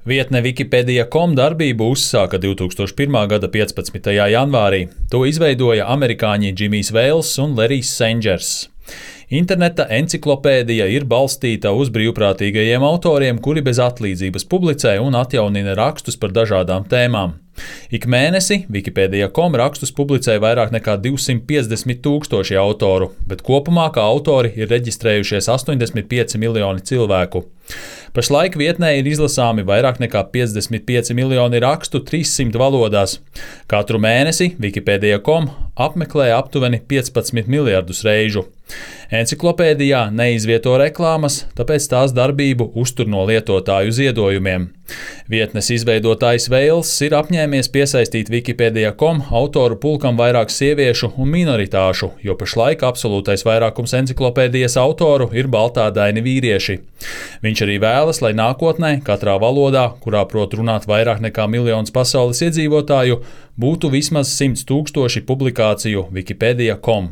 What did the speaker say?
Vietne Wikipedia.com darbību uzsāka 2001. gada 15. janvārī. To izveidoja amerikāņi Džimijs Veils un Lerijs Sengers. Interneta enciklopēdija ir balstīta uz brīvprātīgajiem autoriem, kuri bez atlīdzības publicē un atjaunina rakstus par dažādām tēmām. Ik mēnesi Wikipedia.com rakstus publicē vairāk nekā 250,000 autoru, bet kopumā kā autori ir reģistrējušies 85 miljoni cilvēku. Pašlaik vietnē ir izlasāmi vairāk nekā 55 miljoni rakstu 300 valodās. Katru mēnesi Wikipedia.com apmeklē aptuveni 15 miljardus reižu. Enciklopēdijā neizvieto reklāmas, tāpēc tās darbību uztur no lietotāju ziedojumiem. Vietnes izveidotājs Veils ir apņēmies piesaistīt Wikipedia.com autoru pulkam vairāk sieviešu un minoritāšu, jo pašlaik absolūtais vairākums enciklopēdijas autoru ir baltādaini vīrieši. Viņš arī vēlas, lai nākotnē katrā valodā, kurā prot runāt vairāk nekā miljons pasaules iedzīvotāju, būtu vismaz 100,000 publikāciju Wikipedia.com.